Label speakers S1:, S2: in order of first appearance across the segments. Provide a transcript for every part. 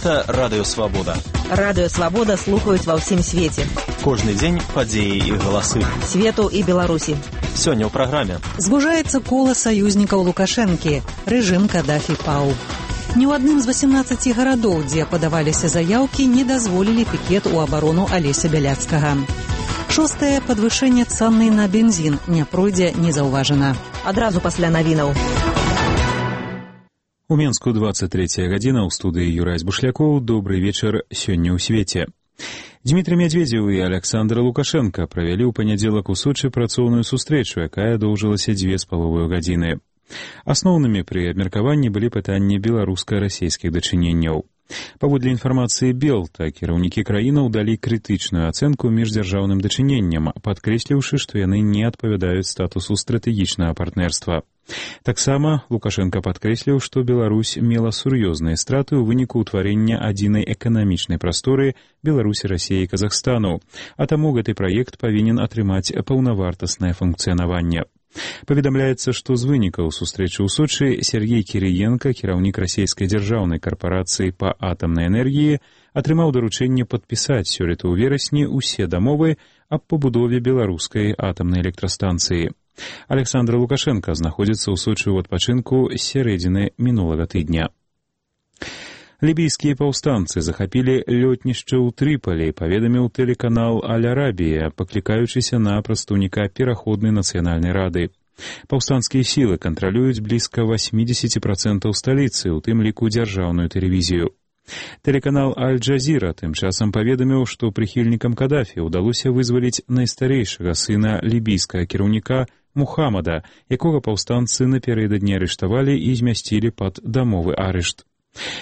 S1: Гэта Радыё Свабода.
S2: Радыё Свабода слухаюць ва ўсім свеце.
S1: Кожны дзень падзеі і галасы.
S2: Свету і Беларусі.
S1: Сёння ў праграме.
S3: Звужаецца кола саюзнікаў Лукашэнкі. Рэжым Кадафі паў. Ні ў адным з 18 гарадоў, дзе падаваліся заяўкі, не дазволілі пікет у абарону Алеся Бяляцкага. Шостае падвышэнне цаны на бензін не пройдзе незаўважана.
S2: Адразу пасля навінаў.
S4: У Менску 23 гадзіна, ў студыі Юрай Бушлякоў. Добрый вечар сёння ў свеце. Дмітрий Медведзеў і Александр Лукашенко правялі ў панядзелак у Сочы працоўную сустрэчу, якая доўжылася 2,5 гадзіны. Асноўнымі пры абмеркаванні былі пытанні беларуска-расейскіх дачыненняў. Паводле інфармацыі Белта, кіраўнікі краінаў далі крытычную ацэнку міждзяржаўным дачыненням, падкрэсліўшы, што яны не адпавядаюць статусу стратэгічнага партнерства. Таксама Лукашенко падкрэсліў, што Беларусь мела сур'ёзныя страты ў выніку ўтварэння адзінай эканамічнай прасторы Беларусі, Расіі і Казахстану, а таму гэты праект павінен атрымаць паўнавартаснае функцыянаванне. Паведамляецца, што з вынікаў сустрэчы ў Сочы Сергей Кірыенка, кіраўнік расійскай дзяржаўнай карпарацыі па атамнай энергіі, атрымаў даручэнне падпісаць сёлета ў верасні ўсе дамовы аб пабудове беларускай атамнай электрастанцыі. Александр Лукашенко знаходзіцца ў Сочы ў адпачынку з сярэдзіны мінулага тыдня. Лібійскія паўстанцы захапілі лётнішча ў Трыполі, паведаміў тэлеканал Аль-Арабія, паклікаючыся на прадстаўніка пераходнай нацыянальнай рады. Паўстанцкія сілы кантралююць блізка 80% сталіцы, у тым ліку дзяржаўную тэлевізію. Тэлеканал Аль-Джазіра тым часам паведаміў, што прыхільнікам Кадафі ўдалося вызваліць найстарэйшага сына лібійскага кіраўніка Мухаммада, якога паўстанцы напярэдадні арыштавалі і змясцілі пад дамовы арышт.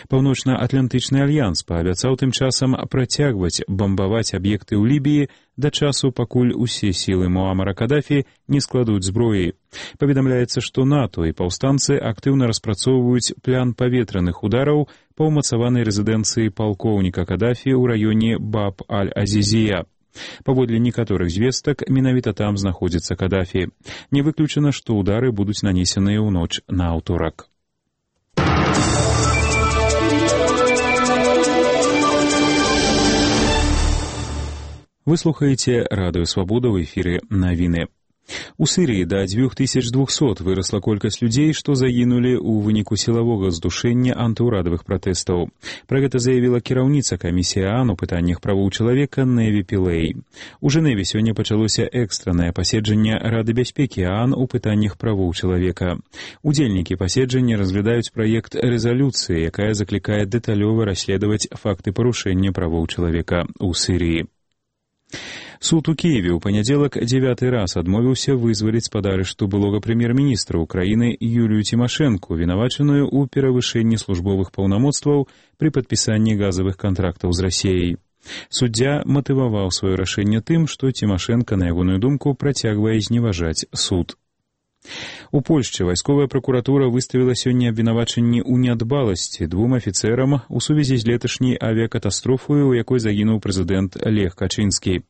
S4: Паўночна-атлантычны альянс паабяцаў тым часам працягваць бамбаваць аб'екты ў Лібіі да часу, пакуль усе сілы Муамара Кадафі не складуць зброі. Паведамляецца, што НАТО і паўстанцы актыўна распрацоўваюць план паветраных удараў па ўмацаванай рэзідэнцыі палкоўніка Кадафі ў раёне Баб-аль-Азізія. Паводле некаторых звестак, менавіта там знаходзіцца Кадафі. Не выключана, што ўдары будуць нанесеныя ў ноч на аўторак. Вы слухаеце Радыё Свабода, ў эфіры навіны. У Сірыі да 2200 вырасла колькасць людзей, што загінулі ў выніку сілавога здушэння антыўрадавых пратэстаў. Пра гэта заявіла кіраўніца камісіі ААН у пытаннях правоў чалавека Неві Пілэй. У Жэневе сёння пачалося экстраннае паседжанне Рады бяспекі ААН у пытаннях правоў чалавека. Удзельнікі паседжання разглядаюць праект рэзалюцыі, якая заклікае дэталёва расследаваць факты парушэння правоў чалавека ў Сірыі. Суд у Киеве ў панядзелак 9 раз адмовіўся вызваліць з-пад арышту былога прэм'ер-міністра ўкраіны Юлію Цімашэнку, вінавачаную ў перавышэнні службовых паўнамоцтваў пры падпісанні газавых кантрактаў з Расіяй. Суддзя матываваў сваё рашэнне тым, што Цімашэнка, на ягоную думку, працягвае зневажаць суд. У Польшчы вайсковая пракуратура выставіла сёння абвінавачанні ў нядбаласці двум афіцэрам у сувязі з леташняй авіякатастрофай, у якой загінуў прэзідэнт Лех Качынскі.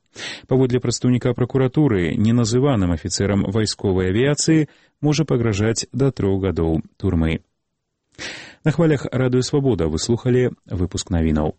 S4: Паводле прадстаўніка пракуратуры, неназываным афіцэрам вайсковай авіяцыі можа пагражаць да 3 гадоў турмы. На хвалях Радыё Свабода вы слухалі выпуск навінаў.